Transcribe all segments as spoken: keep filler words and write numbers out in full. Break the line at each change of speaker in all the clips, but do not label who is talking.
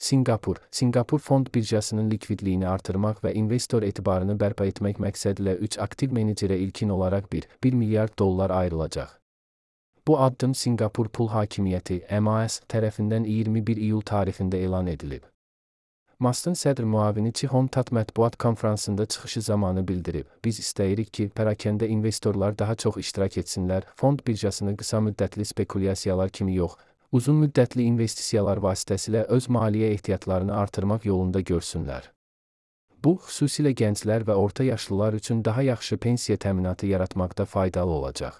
Sinqapur, Sinqapur Fond Birjasının likvidliyini artırmaq və investor etibarını bərpa etmək məqsədilə üç aktiv menecerə ilkin olaraq bir milyard dollar ayrılacaq. Bu addım Sinqapur Pul Hakimiyyəti M A S tərəfindən iyirmi bir iyul tarixində elan edilib. Musk'ın sədr müavini Cihon Tat mətbuat konfransında çıxışı zamanı bildirib, biz istəyirik ki, pərakəndə investorlar daha çox iştirak etsinlər, fond birjasını qısa müddətli spekulyasiyalar kimi yox, uzun müddətli investisiyalar vasitəsilə öz maliyyə ehtiyatlarını artırmaq yolunda görsünlər. Bu, xüsusilə gənclər və orta yaşlılar üçün daha yaxşı pensiya təminatı yaratmaqda faydalı olacaq.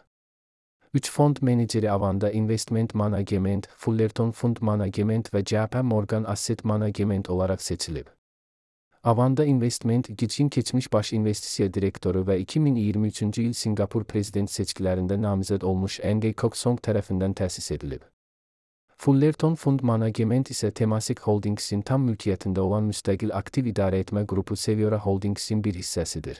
Üç fond meneceri Avanda Investment Management, Fullerton Fund Management və J P Morgan Asset Management olaraq seçilib. Avanda Investment, Gicin keçmiş baş investisiya direktoru və iki min iyirmi üçüncü il Sinqapur prezident seçkilərində namizəd olmuş Ng Kok Song tərəfindən təsis edilib. Fullerton Fund Management isə Temasek Holdings'in tam mülkiyyətində olan müstəqil aktiv idarəetmə qrupu Seviora Holdings'in bir hissəsidir.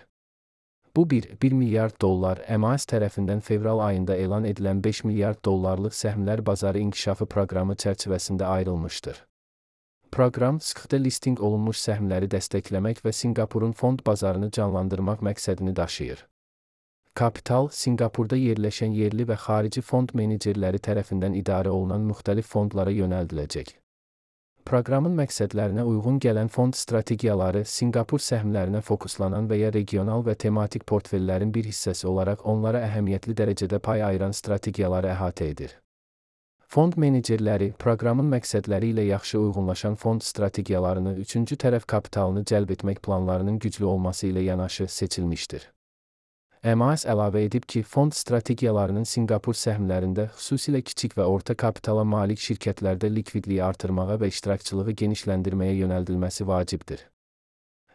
Bu bir milyard dollar M A S tərəfindən fevral ayında elan edilən beş milyard dollarlıq səhmlər bazarı inkişafı proqramı çərçivəsində ayrılmışdır. Proqram, sıxda listing olunmuş səhmləri dəstəkləmək və Sinqapurun fond bazarını canlandırmaq məqsədini daşıyır. Kapital, Sinqapurda yerləşən yerli və xarici fond menecerləri tərəfindən idarə olunan müxtəlif fondlara yönəldiləcək. Proqramın məqsədlərinə uyğun gələn fond strategiyaları Sinqapur səhmlərinə fokuslanan və ya regional və tematik portfellərin bir hissəsi olaraq onlara əhəmiyyətli dərəcədə pay ayıran strategiyaları əhatə edir. Fond menecerləri, proqramın məqsədləri ilə yaxşı uyğunlaşan fond strategiyalarını üçüncü tərəf kapitalını cəlb etmək planlarının güclü olması ilə yanaşı seçilmişdir. M A S əlavə edib ki, fond strategiyalarının Sinqapur səhmlərində, xüsusilə kiçik və orta kapitala malik şirkətlərdə likvidliyi artırmağa və iştirakçılığı genişləndirməyə yönəldilməsi vacibdir.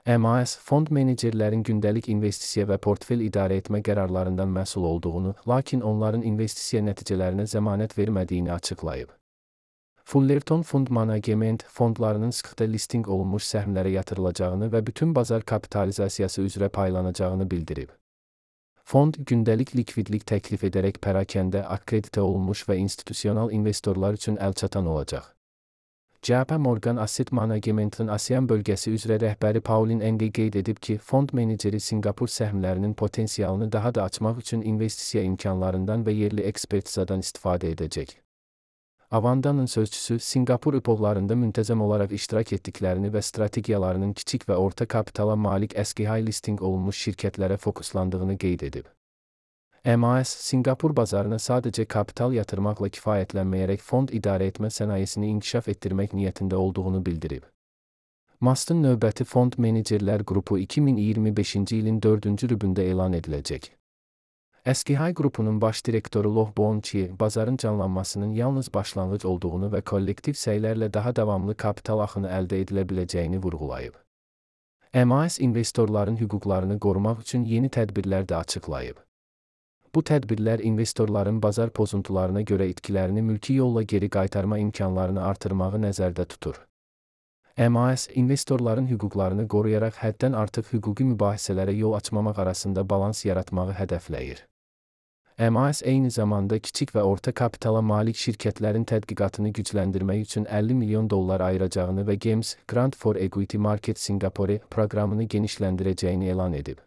M A S, fond menecerlərin gündəlik investisiya və portfel idarə etmə qərarlarından məsul olduğunu, lakin onların investisiya nəticələrinə zəmanət vermədiyini açıqlayıb. Fullerton Fund Management, fondlarının sıxda listing olunmuş səhmlərə yatırılacağını və bütün bazar kapitalizasiyası üzrə paylanacağını bildirib. Fond, gündəlik likvidlik təklif edərək pərakəndə, akkreditə olunmuş və institusional investorlar üçün əlçatan olacaq. J P Morgan Asset Management'ın ASEAN bölgəsi üzrə rəhbəri Pauline Ng qeyd edib ki, fond meneceri Sinqapur səhmlərinin potensialını daha da açmaq üçün investisiya imkanlarından və yerli ekspertizadan istifadə edəcək. Avanda'nın sözçüsü, Sinqapur üpovlarında müntəzəm olaraq iştirak etdiklərini və strategiyalarının kiçik və orta kapitala malik əski high listing olunmuş şirkətlərə fokuslandığını qeyd edib. M A S, Sinqapur bazarına sadəcə kapital yatırmaqla kifayətlənməyərək fond idarə etmə sənayesini inkişaf etdirmək niyyətində olduğunu bildirib. Musk'ın növbəti fond menecerlər qrupu iki min iyirmi beşinci ilin dördüncü rübündə elan ediləcək. Əski-Hay qrupunun baş direktoru Loh Boon-Chye, bazarın canlanmasının yalnız başlanğıc olduğunu və kollektiv səylərlə daha davamlı kapital axını əldə edilə biləcəyini vurğulayıb. M A S investorların hüquqlarını qorumaq üçün yeni tədbirlər də açıqlayıb. Bu tədbirlər investorların bazar pozuntularına görə itkilərini mülki yolla geri qaytarma imkanlarını artırmağı nəzərdə tutur. M A S, investorların hüquqlarını qoruyaraq həddən artıq hüquqi mübahisələrə yol açmamaq arasında balans yaratmağı hədəfləyir. M A S eyni zamanda kiçik və orta kapitala malik şirkətlərin tədqiqatını gücləndirmək üçün əlli milyon dollar ayıracağını və GEMS, Grant for Equity Market Singapore proqramını genişləndirəcəyini elan edib.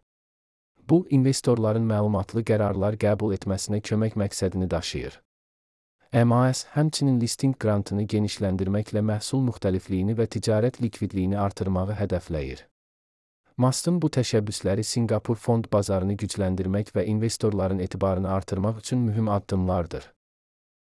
Bu, investorların məlumatlı qərarlar qəbul etməsinə kömək məqsədini daşıyır. M A S, həmçinin listing grantını genişləndirməklə məhsul müxtəlifliyini və ticarət likvidliyini artırmağı hədəfləyir. Musk'ın bu təşəbbüsləri Sinqapur fond bazarını gücləndirmək və investorların etibarını artırmaq üçün mühüm addımlardır.